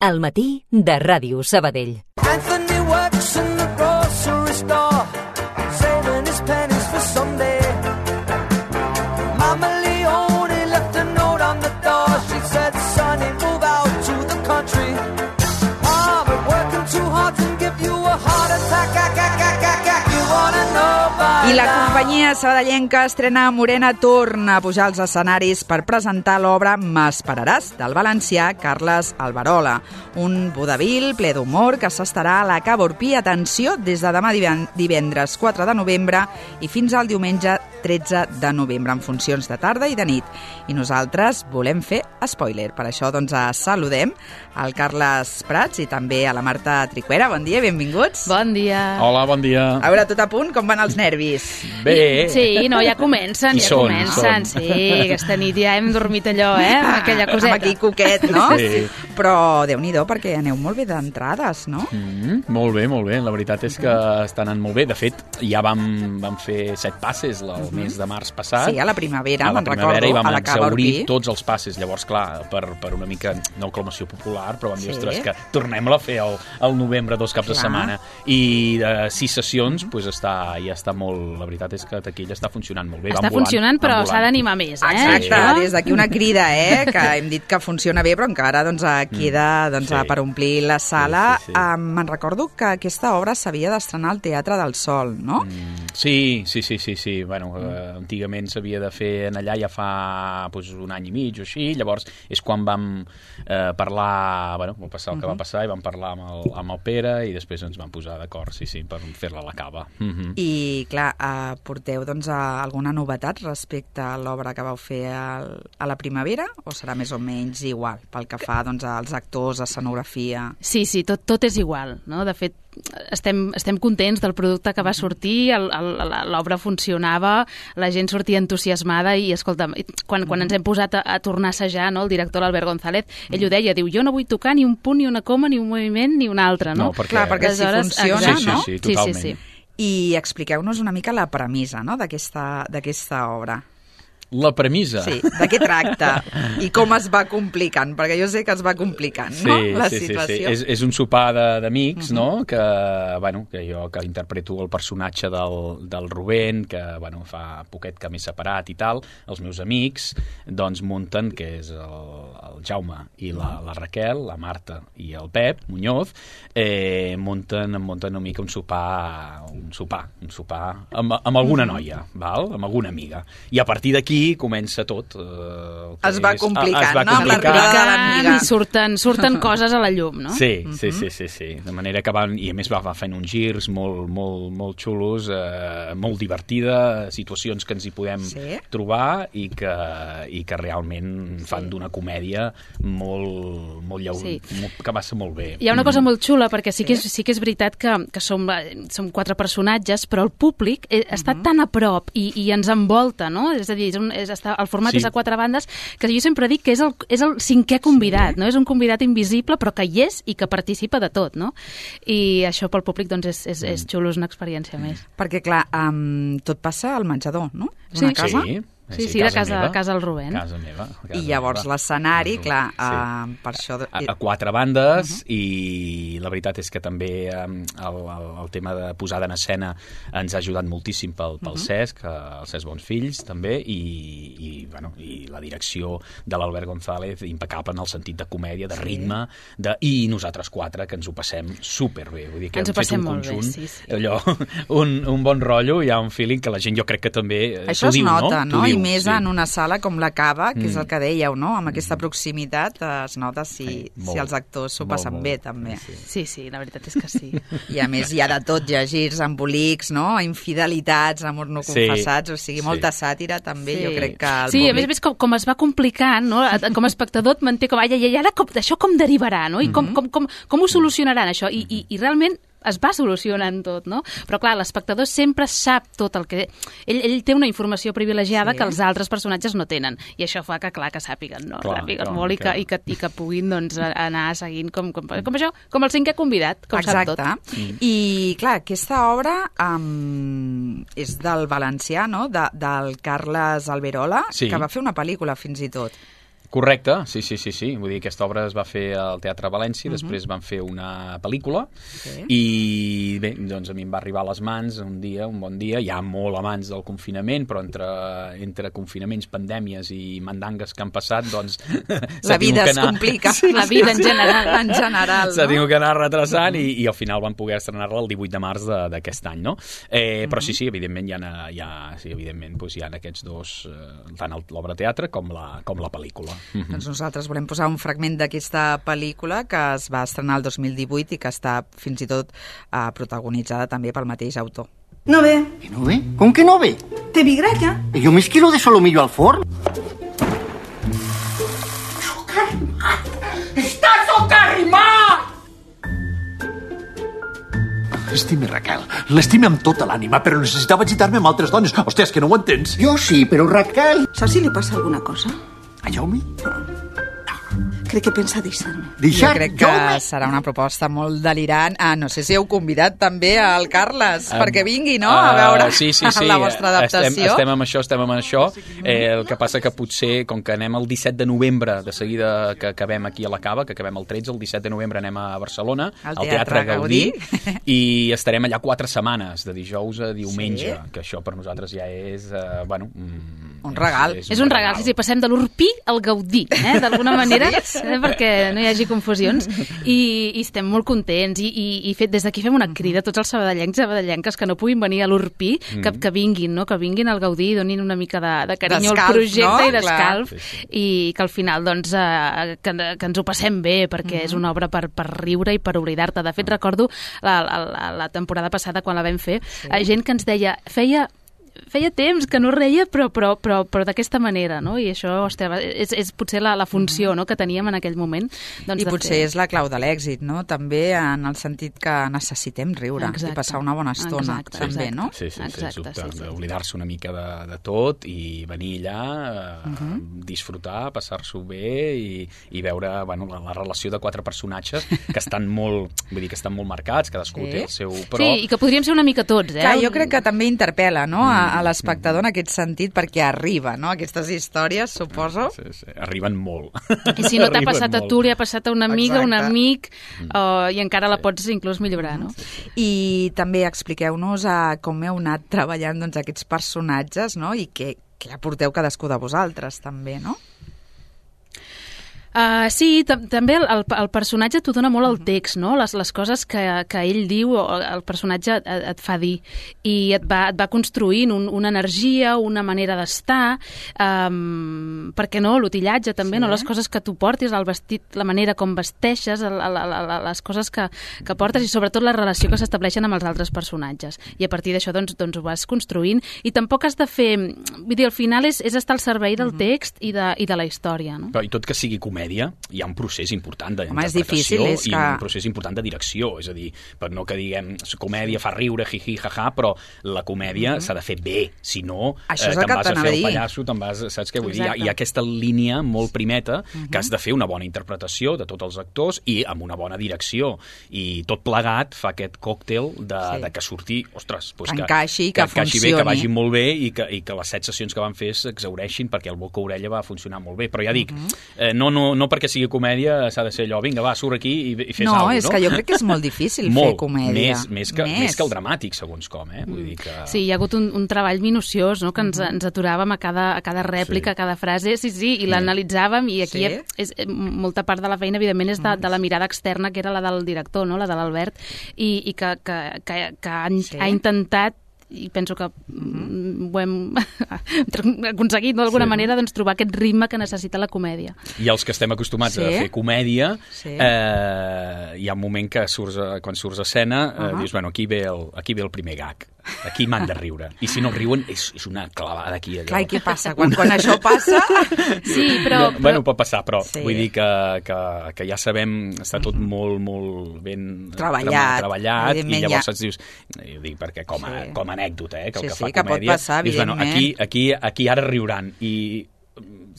Al matí de Ràdio Sabadell. Anthony works in the grocery store, saving his pennies for someday. Mama Leone left a note on the door. She said, "Sonny, move out to the country. Ah, but working too hard can give you a heart attack. You wanna know by I la now." companyia sabadellenca Estrena Morena torna a pujar als escenaris per presentar l'obra M'esperaràs, del valencià Carles Alberola, un vodevil ple d'humor que s'estarà a la Cava Orpí, atenció, des de demà divendres 4 de novembre i fins al diumenge 13 de novembre, en funcions de tarda i de nit. I nosaltres volem fer spoiler. Per això doncs saludem al Carles Prats i també a la Marta Tricuera. Bon dia, benvinguts. Bon dia. Hola, bon dia. A veure, tot a punt, com van els nervis? Bé. Sí, no, ja comencen, Hi ja són, comencen. són. Sí, aquesta nit ja hem dormit allò, amb aquella coseta. Amb aquí coquet, no? Sí. Però Déu-n'hi-do, perquè aneu molt bé d'entrades, no? Molt bé, molt bé. La veritat és que està anant molt bé. De fet, ja vam fer 7 passes el mes de març passat. Sí, a la primavera, a la me'n primavera, recordo, i vam a la Cava exaurir Orpí. tots els passes. Llavors, clar, per una mica, no aclamació popular, però vam dir, Sí. ostres, que tornem-la a fer al novembre, 2 caps de Clar. setmana. I de 6 sessions, doncs ja està molt... La veritat és que taquilla està funcionant molt bé. Està funcionant, però s'ha d'animar més, Exacte, això? des d'aquí una crida, que hem dit que funciona bé, però encara queda Sí. per omplir la sala. Sí, sí, sí. Me'n recordo que aquesta obra s'havia d'estrenar al Teatre del Sol, no? Sí. Bueno, antigament s'havia de fer en allà ja fa un any i mig o així, llavors és quan vam parlar, va passar el que va passar, i vam parlar amb el Pere i després ens vam posar d'acord, sí, per fer-la a la Cava. I, clar, porteu alguna novetat respecte a l'obra que vau fer a la primavera, o serà més o menys igual, pel que fa als actors, escenografia? Sí, tot és igual, no? De fet, estem contents del producte que va sortir, l'obra funcionava, la gent sortia entusiasmada i, escolta, quan ens hem posat a tornar a assajar, no, el director, l'Albert González, ell ho deia, diu, jo no vull tocar ni un punt, ni una coma, ni un moviment, ni un altre, no? No, perquè... Clar, perquè si funciona, no? Sí, totalment. Sí. I expliqueu-nos una mica la premissa, no?, d'aquesta obra. La premissa? Sí, de què tracta i com es va complicant, perquè jo sé que es va complicant, no?, la situació. Sí. És un sopar d'amics, no?, que jo interpreto el personatge del Rubén, que fa poquet que m'he separat i tal. Els meus amics doncs munten, que és el Jaume i la Raquel, la Marta i el Pep Muñoz, munten una mica un sopar amb alguna noia, val? Amb alguna amiga. I a partir d'aquí comença tot. Es va complicant, no? Amb l'arribada de l'amiga. I surten coses a la llum, no? Sí. De manera que i a més va fent uns girs molt xulos, molt divertida, situacions que ens hi podem trobar i que realment fan d'una comèdia molt que va ser molt bé. Hi ha una cosa molt xula, perquè sí que és veritat que som 4 personatges, però el públic està tan a prop i ens envolta, no? És a dir, el format és a 4 bandes, que jo sempre dic que és el 5è convidat, no? És un convidat invisible, però que hi és i que participa de tot, no? I això pel públic doncs és xulo, és una experiència més. Perquè, clar, tot passa al menjador, no? Una casa? Sí, de casa del Rubén. Casa meva. I llavors l'escenari, clar, per això... A 4 bandes, i la veritat és que també el tema de posada en escena ens ha ajudat moltíssim pel Cesc, el Cesc Bonsfills, també, i la direcció de l'Albert González, impecable en el sentit de comèdia, de ritme, i nosaltres 4, que ens ho passem superbé. Vull dir que ens ho passem molt bé, sí. Allò, un bon rotllo, hi ha un feeling que la gent jo crec que també això es nota, no? I més sí. en una sala com la Cava, que és el que dèieu, no? Amb aquesta proximitat es nota si els actors s'ho passen bé, també. Sí, la veritat és que sí. I a més hi ha de tot, hi ha girs, embolics, no? Infidelitats, amor no confessats, o sigui, molta sàtira també, jo crec que el públic... públic... a més com es va complicant, no? Com a espectador et manté com, i ara això com derivarà, no? I com ho solucionaran, això? I realment es va solucionant tot, no? Però clar, l'espectador sempre sap tot el que... Ell té una informació privilegiada que els altres personatges no tenen, i això fa que, clar, que sàpiguen, no? Sàpiguen molt i que puguin, doncs, anar seguint com això, com el 5è convidat, com sap tot. Exacte. I, clar, aquesta obra és del valencià, no? Del Carles Alberola, que va fer una pel·lícula fins i tot. Correcte, sí. Vull dir, aquesta obra es va fer al Teatre València, després van fer una pel·lícula i bé, doncs a mi em va arribar a les mans un bon dia, ja molt abans del confinament, però entre confinaments, pandèmies i mandangues que han passat, doncs... La vida es complica. La vida en general. En general, s'ha tingut que anar retrasant i al final van poder estrenar-la el 18 de març d'aquest any, no? Però sí, evidentment hi ha aquests dos, tant l'obra de teatre com la pel·lícula. Doncs nosaltres volem posar un fragment d'aquesta pel·lícula que es va estrenar el 2018 i que està fins i tot protagonitzada també pel mateix autor. No ve. ¿Que no ve? ¿Con qué no ve? Te vi gralla. Yo me esquilo de solomillo al forn. ¡Está socarrimat! L'estime, Raquel. L'estime amb tota l'ànima, però necessitava agitar-me amb altres dones. Hòstia, és que no ho entens. Yo sí, pero Raquel... ¿Saps si li passa alguna cosa? A Jaume? Crec que pensa deixar-me. Jo crec que serà una proposta molt delirant. No sé si heu convidat també al Carles perquè vingui, no?, a veure la vostra adaptació. Estem amb això. El que passa que potser, com que anem el 17 de novembre, de seguida que acabem aquí a la Cava, que acabem el 13, el 17 de novembre anem a Barcelona, al Teatre Gaudí, i estarem allà 4 setmanes, de dijous a diumenge, que això per nosaltres ja és, un regal. És un regal, sí, passem de l'Urpí al Gaudí, d'alguna manera, perquè no hi hagi confusions, i estem molt contents, i des d'aquí fem una crida a tots els sabadellencs i sabadellenques que no puguin venir a l'Urpí, que vinguin, no?, que vinguin al Gaudí i donin una mica de carinyo al projecte i d'escalf, i que al final, doncs, que ens ho passem bé, perquè és una obra per riure i per oblidar-te. De fet, recordo la temporada passada, quan la vam fer, gent que ens deia, feia temps que no reia, però d'aquesta manera, no? I això, hòstia, és potser la funció, no?, que teníem en aquell moment. Doncs, I potser és la clau de l'èxit, no?, també en el sentit que necessitem riure i passar una bona estona, també, no? Sí, oblidar-se una mica de tot i venir allà, disfrutar, passar-s'ho bé i veure, la relació de 4 personatges que estan molt marcats, cadascú té el seu... Sí, i que podríem ser una mica tots, Clar, jo crec que també interpel·la, no?, a l'espectador en aquest sentit, perquè arriba, no?, aquestes històries, suposo. Sí, arriben molt. I si no t'ha passat a tu, li ha passat a una amiga, un amic, i encara la pots inclús millorar, no? I també expliqueu-nos com heu anat treballant aquests personatges, no?, i què aporteu cadascú de vosaltres, també, no? Sí, també el personatge t'ho dona molt el text, no? Les coses que ell diu, el personatge et fa dir, i et va construint una energia, una manera d'estar, perquè no, l'utillatge també, no? Les coses que tu portis, el vestit, la manera com vesteixes, les coses que portes, i sobretot la relació que s'estableixen amb els altres personatges. I a partir d'això doncs ho vas construint, i tampoc has de fer... Vull dir, al final és estar al servei del text i de la història, no? Però i tot que sigui comèdia, hi ha un procés important d'interpretació i un procés important de direcció, és a dir, per no que diguem comèdia fa riure, jiji, jaja, però la comèdia s'ha de fer bé, si no te'n vas a fer el pallasso, saps què vull dir? Hi ha aquesta línia molt primeta que has de fer una bona interpretació de tots els actors i amb una bona direcció, i tot plegat fa aquest còctel de que surti, ostres, que encaixi, que funcioni, bé, que vagi molt bé i que les 7 sessions que van fer s'exhaureixin, perquè el boca-orella va funcionar molt bé, però ja dic, no perquè sigui comèdia s'ha de ser allò, vinga, va, surt aquí i fes alguna cosa, no? No, és que jo crec que és molt difícil fer comèdia. Més que el dramàtic, segons com, Vull dir que... Sí, hi ha hagut un treball minuciós, no?, que ens aturàvem a cada rèplica, a cada frase, i l'analitzàvem, i aquí molta part de la feina, evidentment, és de la mirada externa, que era la del director, no?, la de l'Albert, i que ha intentat, i penso que ho hem aconseguit d'alguna manera, doncs, trobar aquest ritme que necessita la comèdia. I els que estem acostumats a fer comèdia, hi ha un moment que quan surts a escena dius, bueno, aquí ve el primer gag, aquí m'han de riure, i si no riuen és una clavada aquí. Clar, i què passa? Quan això passa... Sí, però... Bueno, pot passar, però vull dir que ja sabem, està tot molt ben treballat, i llavors et dius, perquè com a anècdota, que el que fa comèdia... Pot passar, evidentment. Aquí ara riuran, i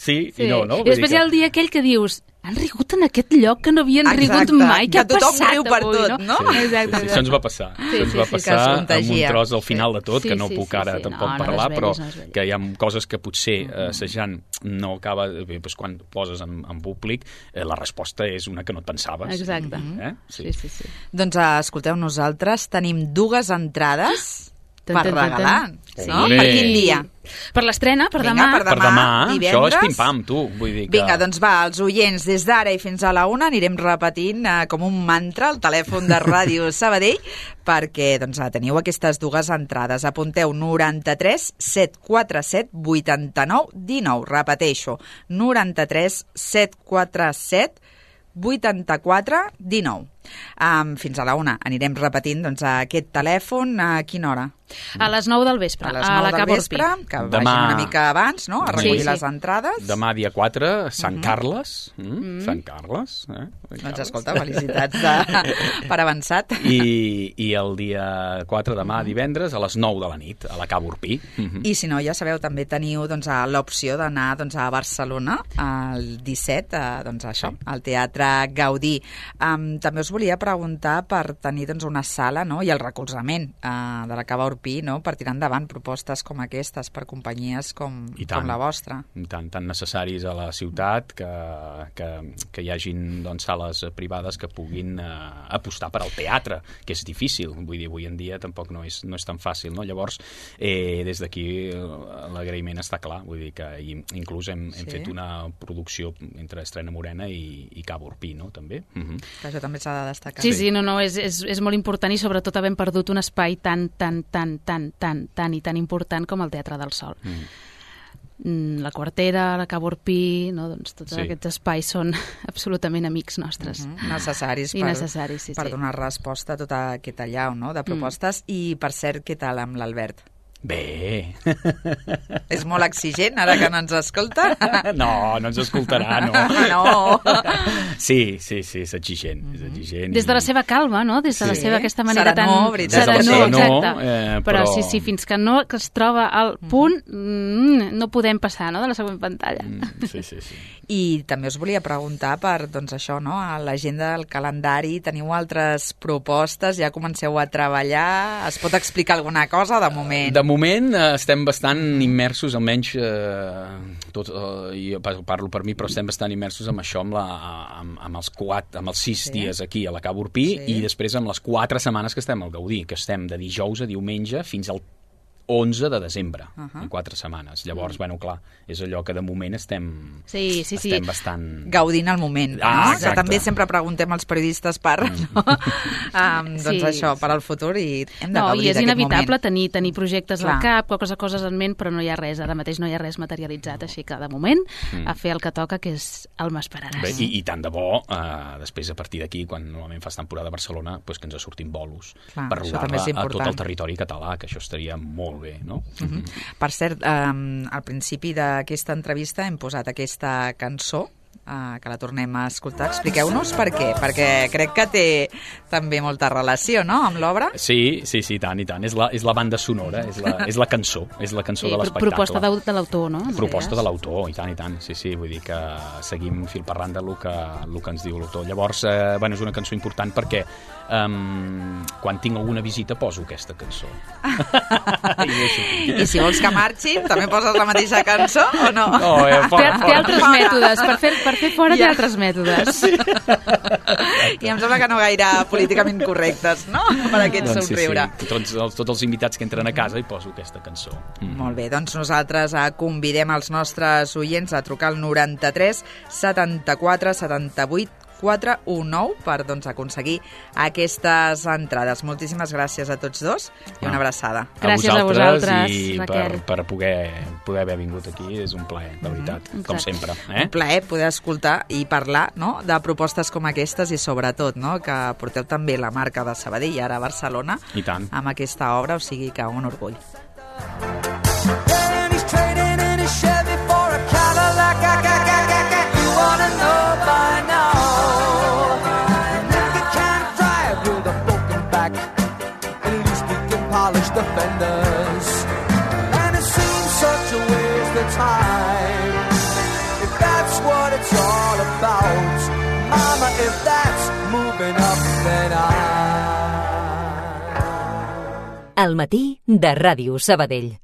sí i no? I després hi ha el dia aquell que dius, han rigut en aquest lloc que no havien rigut mai, què ha passat tothom riu per avui, tot, no? Sí. Exacte. Això ens va passar. Això ens va passar amb un tros al final de tot, que no puc ara tampoc parlar, però que hi ha coses que potser assajant no acaba... Bé, doncs quan poses en públic, la resposta és una que no et pensaves. Exacte. Sí. Doncs escolteu, nosaltres tenim 2 entrades per regalar, no? Per quin dia? Per l'estrena, per demà. Per demà, divendres. això és pim-pam, tu. Vull dir que... Vinga, doncs va, els oients, des d'ara i fins a la 1 anirem repetint com un mantra el telèfon de Ràdio Sabadell perquè doncs, teniu aquestes 2 entrades. Apunteu 93 747 89 19. Repeteixo, 93 747 84 19. Fins a la 1 anirem repetint doncs, aquest telèfon a quina hora? A les 9 del vespre, a les 9 la del vespre, que vagin una mica abans, no?, a recollir les entrades. Demà, dia 4, Sant Carles. Sant Carles. Doncs escolta, felicitats per avançat. I el dia 4, demà, divendres, a les 9 de la nit, a la Cava Urpí. I si no, ja sabeu, també teniu doncs, l'opció d'anar doncs, a Barcelona el 17, doncs, això, al Teatre Gaudí. També us volia preguntar per tenir doncs, una sala, no?, i el recolzament de la Cava Urpí, no?, per tirar endavant propostes com aquestes per companyies com la vostra. I tant, tan necessaris a la ciutat que hi hagin doncs, sales privades que puguin apostar per al teatre, que és difícil, vull dir, avui en dia tampoc no és tan fàcil, no? Llavors, des d'aquí l'agraïment està clar, vull dir que inclús hem fet una producció entre Estrena Morena i Cava Urpí, no?, també. Que això també s'ha de destacar. Sí, és molt important i sobretot havent perdut un espai tan i tan important com el Teatre del Sol. La Quartera, la Cava Urpí, no? Doncs tots aquests espais són absolutament amics nostres. Necessaris per donar resposta a tota aquesta allau, no?, de propostes. I, per cert, què tal amb l'Albert? Bé. És molt exigent, ara que no ens escolta? No ens escoltarà, no. No. Sí, és exigent. Des de la seva calma, no? Des de la seva aquesta manera tan... Serenor, exacte. Però sí, fins que no es troba al punt, no podem passar, no?, de la següent pantalla. Sí. I també us volia preguntar per, doncs això, no?, a l'agenda del calendari, teniu altres propostes, ja comenceu a treballar, es pot explicar alguna cosa de moment? De moment estem bastant immersos, almenys jo parlo per mi, però estem bastant immersos amb això, amb els 6 dies aquí a la Cava Urpí i després amb les 4 setmanes que estem al Gaudí, que estem de dijous a diumenge fins al 11 de desembre, en 4 setmanes. Llavors, bueno, clar, és allò que de moment estem bastant... Gaudint al moment, no? Que també sempre preguntem als periodistes per, no? Doncs això, per al futur, i hem de gaudir d'aquest moment. I és inevitable tenir projectes al cap, coses en ment, però no hi ha res, ara mateix no hi ha res materialitzat, així que de moment a fer el que toca, que és el m'esperaràs. Bé, i tant de bo, després a partir d'aquí, quan normalment fas temporada a Barcelona, que ens sortim bolos per rodar-la a tot el territori català, que això estaria molt bé, no? Per cert, al principi d'aquesta entrevista hem posat aquesta cançó, que la tornem a escoltar. Expliqueu-nos per què, perquè crec que té també molta relació, no?, amb l'obra. Sí, i tant. És la banda sonora, és la cançó de l'espectacle. Proposta de l'autor, no? Proposta de l'autor, i tant. Sí, vull dir que seguim fil per randa el que ens diu l'autor. Llavors, és una cançó important perquè quan tinc alguna visita poso aquesta cançó. I si vols que marxin, també poses la mateixa cançó o no? Té altres mètodes, per fer fora té altres mètodes. I em sembla que no gaire políticament correctes, no?, per aquest somriure. Tots els invitats que entren a casa hi poso aquesta cançó. Molt bé, doncs nosaltres convidem els nostres oients a trucar al 93 74 78 419 per aconseguir aquestes entrades. Moltíssimes gràcies a tots dos i una abraçada. Gràcies a vosaltres, i Raquel. per poder haver vingut aquí. És un plaer, de veritat, com sempre. Un plaer poder escoltar i parlar, no?, de propostes com aquestes i sobretot, no?, que porteu també la marca de Sabadell i ara a Barcelona amb aquesta obra, o sigui que un orgull. The fenders, and it seems such a waste of time, if that's what it's all about. If that's moving up, then El matí de Ràdio Sabadell.